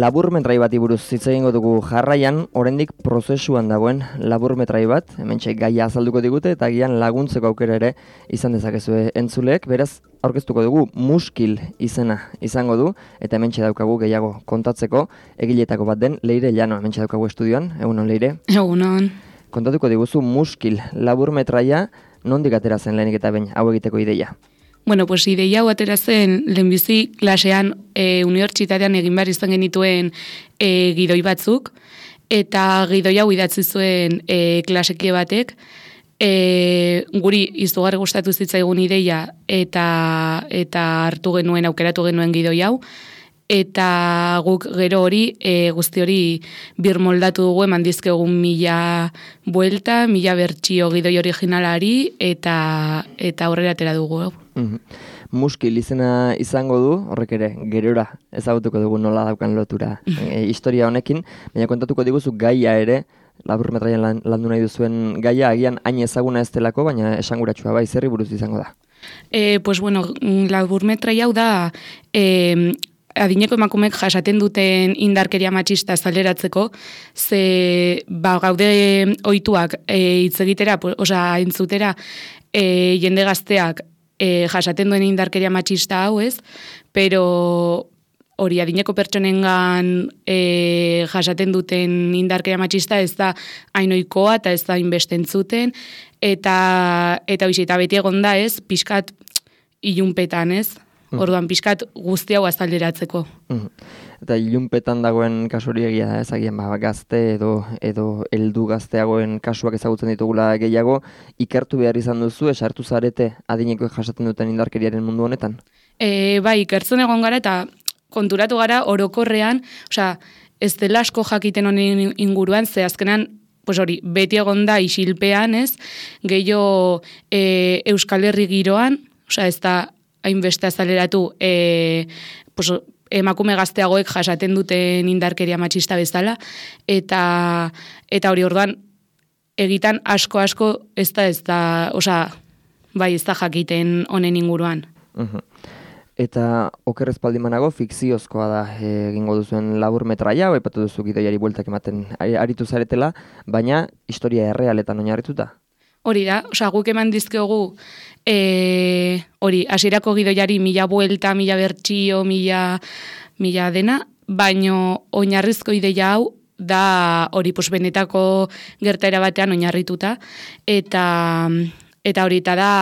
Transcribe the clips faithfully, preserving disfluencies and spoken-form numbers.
Laburmetrai bati buruz hitz egingo dugu jarraian, oraindik prozesuan dagoen laburmetrai bat, hementxe gaia azalduko digute eta agian laguntzeko aukera ere izan dezakezue entzuleek, beraz aurkeztuko dugu Muskil izena izango du eta hementxe daukagu gehiago kontatzeko egiletako bat den Leire Llano, hementxe daukagu estudioan. Egunon Leire. Egunon. Kontatuko diguzu Muskil laburmetraia nondik atera zen lehenik eta behin hau egiteko ideia? Bueno, pues ideia hau atera zen lehenbizi klasean e, unibertsitatean egin behar izan genituen e, gidoi batzuk, eta gidoi hau idatzi zuen e, klasekie batek, e, guri izugarri gustatu zitzaigun ideia eta eta hartu genuen, aukeratu genuen gidoi hau, eta guk gero hori, e, guzti hori birmoldatu dugu eman dizkegun mila buelta, mila bertsio gidoi originalari, eta eta aurrera atera dugu. Mm-hmm. Muskil izena izango du, horrek ere, gerora ezagutuko dugu nola daukan lotura e, historia honekin, baina kontatuko diguzu gaia ere, laburmetraian lan, landu nahi duzuen gaia, agian hain ezaguna ez delako, baina esanguratsua bai, zerri buruz izango da. E, pues bueno, laburmetraia hau da, e, adineko emakumeek jasaten duten indarkeria matxista zaleratzeko, ze ba, gaude ohituak e, hitz egitera, osea, entzutera, e, jende gazteak e, jasaten duen indarkeria matxista hau ez, pero hori adineko pertsonengan e, jasaten duten indarkeria matxista ez da hainoikoa eta ez da inbeste entzuten, eta, eta, bizi, eta beti egon da ez, pixkat ilunpetan ez, orduan pixkat guzti hau azalderatzeko. Mm. Eta ilunpetan dagoen kasu hori egia da, ezagian ba, gazte edo edo heldu gazteagoen kasuak ezagutzen ditugula gehiago, ikertu behar izan duzu, esartu zarete adineko jasaten duten indarkeriaren mundu honetan? E, bai, ikertzen egon gara eta konturatu gara orokorrean, osea, ez dela asko jakiten honen inguruan, ze azkenan pues hori, beti egon da isilpean, ez? Gehiago e, Euskal Herri giroan, osea, ez da hainbeste azaleratu e, pues, emakume gazteagoek jasaten duten indarkeria matxista bezala, eta eta hori orduan egitan asko-asko ez da, ez da, osea, bai, ez da jakiten honen inguruan. Uh-huh. Eta oker ez baldimanago fikziozkoa da egingo duzuen laburmetraia, aipatu duzu gidoiari bueltak ematen aritu zaretela, baina historia errealetan oinarrituta. Hori da, osea, guk eman dizkiogu e, hori, hasierako gidoiari mila buelta, mila bertsio, mila, mila dena, baino oinarrizko ideia hau da hori pues, benetako gertaera batean oinarrituta, eta eta hori eta da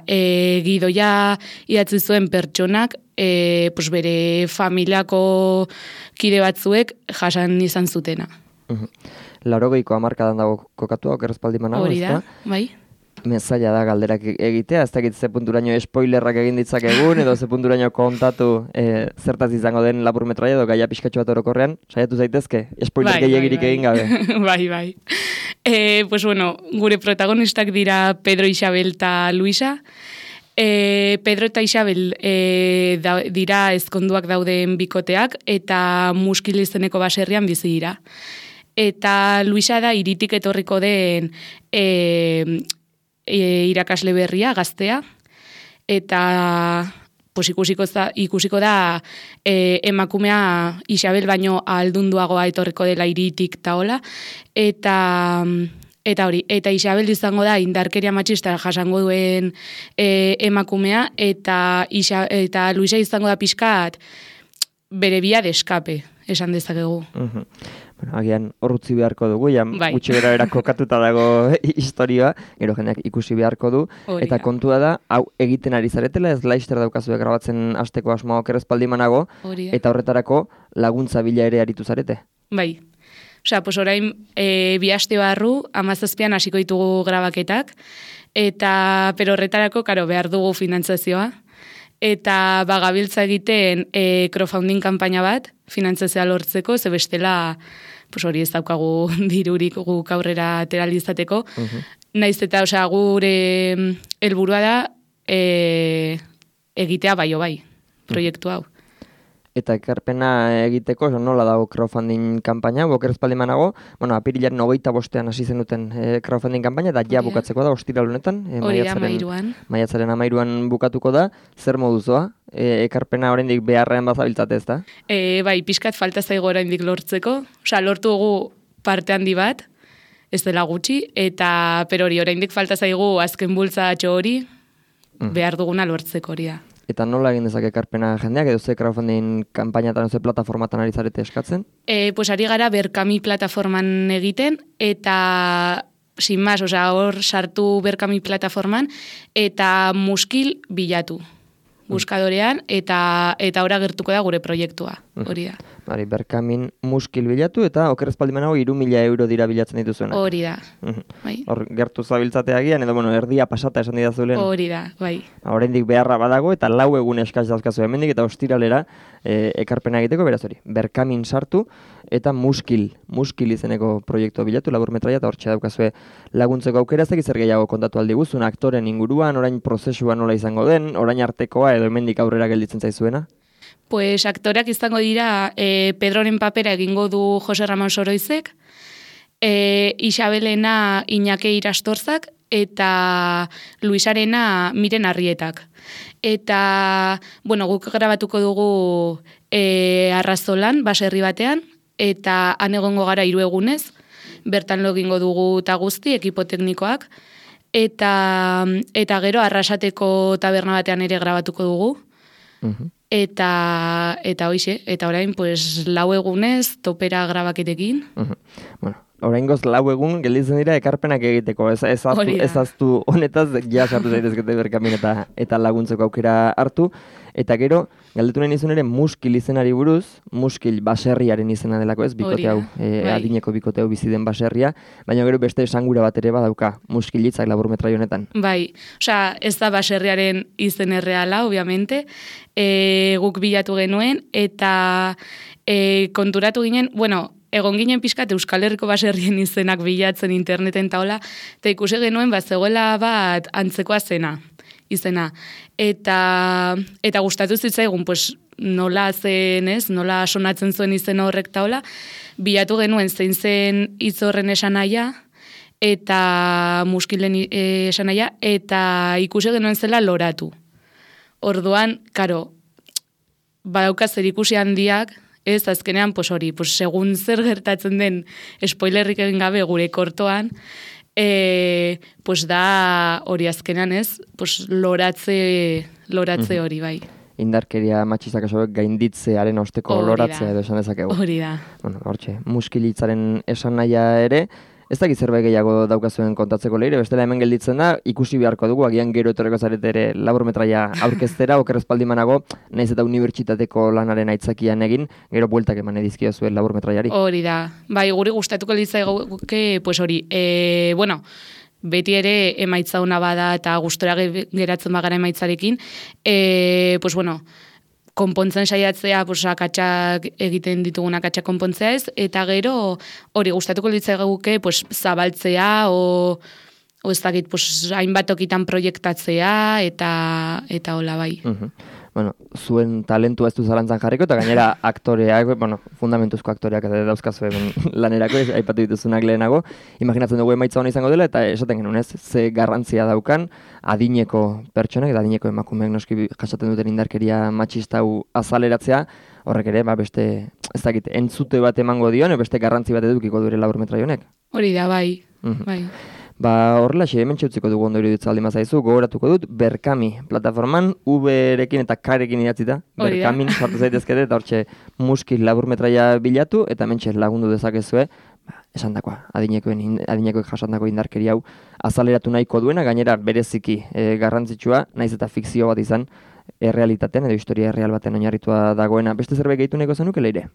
e, gidoia idatzi zuen pertsonak e, pues, bere familiako kide batzuek jasan izan zutena. Uh-huh. Laurogeiko hamarkadan dago kokatua, oker ez baldimanago, hori da, bai. Mezaila da galderak egitea, ez dakit ze punturaino spoilerrak egin ditzakegun, edo ze punturaino kontatu e, zertaz izango den laburmetraia edo gaia pixkatxo bat orokorrean, saiatu zaitezke, spoiler bai, gehiagirik bai, bai. egin gabe. bai, bai. E, pues bueno, gure protagonistak dira Pedro, Isabel eta Luisa. E, Pedro eta Isabel e, da, dira ezkonduak dauden bikoteak, eta Muskil izeneko baserrian bizi dira. Eta Luisa da hiritik etorriko den e, e, irakasle berria, gaztea, eta pues, ikusiko, da, ikusiko da e, emakumea Isabel baino ahaldunduagoa etorriko dela hiritik taola, eta eta hori, eta Isabel izango da indarkeria matxista jasango duen e, emakumea, eta, Isa, eta Luisa izango da pixkat bere bia de eskape, esan dezakegu. Uh-huh. Bueno, agian horrutzi beharko dugu, ja bai. gutxi bera bera kokatuta dago historioa, gero jendeak ikusi beharko du, Hori eta da. kontua da, hau egiten ari zaretela, ez laister daukazue grabatzen hasteko asmoa okerrezpaldimanago, eta horretarako laguntza bila ere aritu zarete. Bai. Osea, pues orain e, bi aste barru, hamazazpian hasiko ditugu grabaketak, eta pero horretarako, karo, behar dugu finantzazioa, eta bagabiltza egiten e, crowdfunding kanpaina bat, finantzazioa lortzeko, ze bestela pues hori ez daukagu dirurik guk aurrera ateralizateko. Uh-huh. Naiz eta, osea, gure helburua da e, egitea bai o bai, proiektu hau. Eta ekarpena egiteko, nola dago crowdfunding kampaina, boker espaldimanago, bueno, apirilaren hogeita bostean hasi zenuten e, crowdfunding kampaina, eta ja bukatzeko da, ostiral honetan. E, hori da, mairuan. Maiatzaren amairuan bukatuko da, zer moduzoa? E, ekarpena oraindik beharrean bazabiltzate ez da? E, bai, pixkat falta zaigo oraindik lortzeko, osea, lortu dugu parte handi bat, ez dela gutxi, eta, pero hori, oraindik falta zaigu azken bultzatxo hori, mm. behar duguna lortzeko hori da. Eta nola egin dezake ekarpena jendeak, edo ze crowdfunding kanpainatan, ze plataformatan ari zarete eskatzen? E, pues ari gara Berkami plataforman egiten, eta sin más, osea, hor sartu Berkami plataforman, eta muskil bilatu buskadorean, eta eta ora gertuko da gure proiektua, hori da. Bari, Berkamin muskil bilatu, eta oker espaldimanago hiru mila euro dira bilatzen dituzuena. Hori da, bai. Hor gertu zabiltzatea gian, edo bueno, erdia pasata esan didazulen. Hori da, bai. Oraindik beharra badago, eta lau egun eskaz dauzkazu hemendik, eta ostiralera e, ekarpena egiteko, beraz hori, Berkamin sartu, eta muskil, muskil izeneko proiektua bilatu, laburmetraia, eta hortxe daukazue laguntzeko aukera, ez dakiz zer gehiago kontatu aldi guzun, aktoren inguruan, orain prozesua nola izango den, orain artekoa, edo hemendik aurrera gelditzen zaizuena? Pues aktoreak izango dira, e, Pedroren papera egingo du Jose Ramon Soroizek, e, Isabelena Iñake Irastorzak, eta Luisarena Miren Arrietak. Eta, bueno, guk grabatuko dugu e, Arrazolan, baserri batean, eta han egongo gara hiru egunez, bertan lo egingo dugu eta guzti, ekipo teknikoak, eta, eta gero Arrasateko taberna batean ere grabatuko dugu, uh-huh. eta, eta hoixe, eta orain, pues, lau egunez, topera grabaketekin. Uh-huh. Bueno, oraingoz lau egun gelditzen dira ekarpenak egiteko, ez ezaztu, ezaztu honetaz, ja sartu zaitezkete Berkamin eta, eta laguntzeko aukera hartu, eta gero, galdetu nahi nizun ere muskil izenari buruz, muskil baserriaren izena delako ez, bikote hau, e, adineko bikote hau bizi den baserria, baina gero beste esangura bat ere badauka, muskilitzak laburmetrai honetan. Bai, osea, ez da baserriaren izen erreala, obviamente, e, guk bilatu genuen, eta e, konturatu ginen, bueno, egon ginen pixkat Euskal Herriko baserrien izenak bilatzen interneten taola, eta ikusi genuen bat zegoela bat antzekoa zena, izena. Eta, eta gustatu zitzaigun, pues, nola zen, ez, nola sonatzen zuen izen horrek taola, bilatu genuen zein zen hitz horren esanaia, eta muskilen esanaia, eta ikusi genuen zela loratu. Orduan, karo, badauka zer ikusi handiak, ez, azkenean, pues hori, pues, segun zer gertatzen den spoilerrik egin gabe gure kortoan, e, pues da hori azkenean, ez, pues loratze, loratze hori, bai. Indarkeria matxistak esoek gainditzearen osteko loratzea edo esan dezakegu. Hori da. Bueno, hortxe, muskilitzaren esan nahia ere, ez dakit zerbait gehiago daukazuen kontatzeko leire, bestela hemen gelditzen da, ikusi beharko dugu, agian gero etorreko zarete ere laburmetraia aurkeztera, oker espaldimanago, nahiz eta unibertsitateko lanaren aitzakian egin, gero bueltak eman edizkio zuen laburmetraiari. Hori da, bai, guri gustatuko litzaigoke, pues hori, e, bueno, beti ere emaitza ona bada eta gustora geratzen bagara emaitzarekin, e, pues bueno, konpontzen saiatzea, pues, akatsak egiten ditugun akatsak konpontzea ez, eta gero hori gustatuko litzaiguke pues, zabaltzea, o, o ez dakit, pues, hainbat tokitan proiektatzea, eta eta hola bai. Uh-huh. Bueno, zuen talentua ez du zalantzan jarriko, eta gainera aktoreak, bueno, fundamentuzko aktoreak dauzkazu lanerako, aipatu dituzunak lehenago, imaginatzen dugu emaitza hona izango dela, eta esaten genuen ez, ze garrantzia daukan, adineko pertsonak, eta adineko emakumeak noski jasaten duten indarkeria matxista hau azaleratzea, horrek ere, ba, beste, ez dakit, entzute bat emango dion, beste garrantzi bat edukiko dure laburmetrai honek. Hori da, bai, uh-huh. bai. Ba, horrela, xe, hemen txutziko dugu ondo iruditza aldi mazaizu, gogoratuko dut, Berkami plataforman, U-rekin eta K-rekin idatzi da, Berkamin sartu zaitezkete, eta hortxe muskil laburmetraia bilatu, eta hemen lagundu dezakezue, ba, esan dakoa, adinekoen, adinekoek jasandako indarkeri hau azaleratu nahiko duena, gainera bereziki e, garrantzitsua, naiz eta fikzio bat izan, errealitatean, edo historia erreal baten oinarritua dagoena. Beste zerbait gehitu nahiko zenuke, Leire?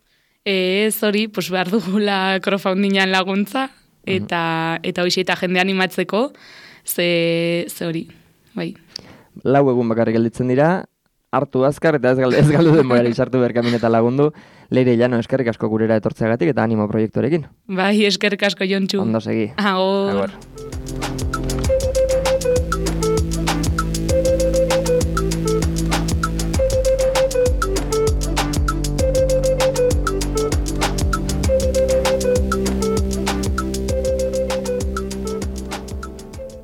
Ez hori, pues behar dugula crowdfundingan laguntza, eta eta hoxe eta jende animatzeko, ze, ze hori, bai. Lau egun bakarrik gelditzen dira, hartu azkar, eta ez galdu, ez galdu denborari sartu berkamin eta lagundu. Leire Llano, eskerrik asko gurera etortzeagatik eta animo proiektuarekin. Bai, eskerrik asko, Jontxu. Ondo segi. Agor. Agor.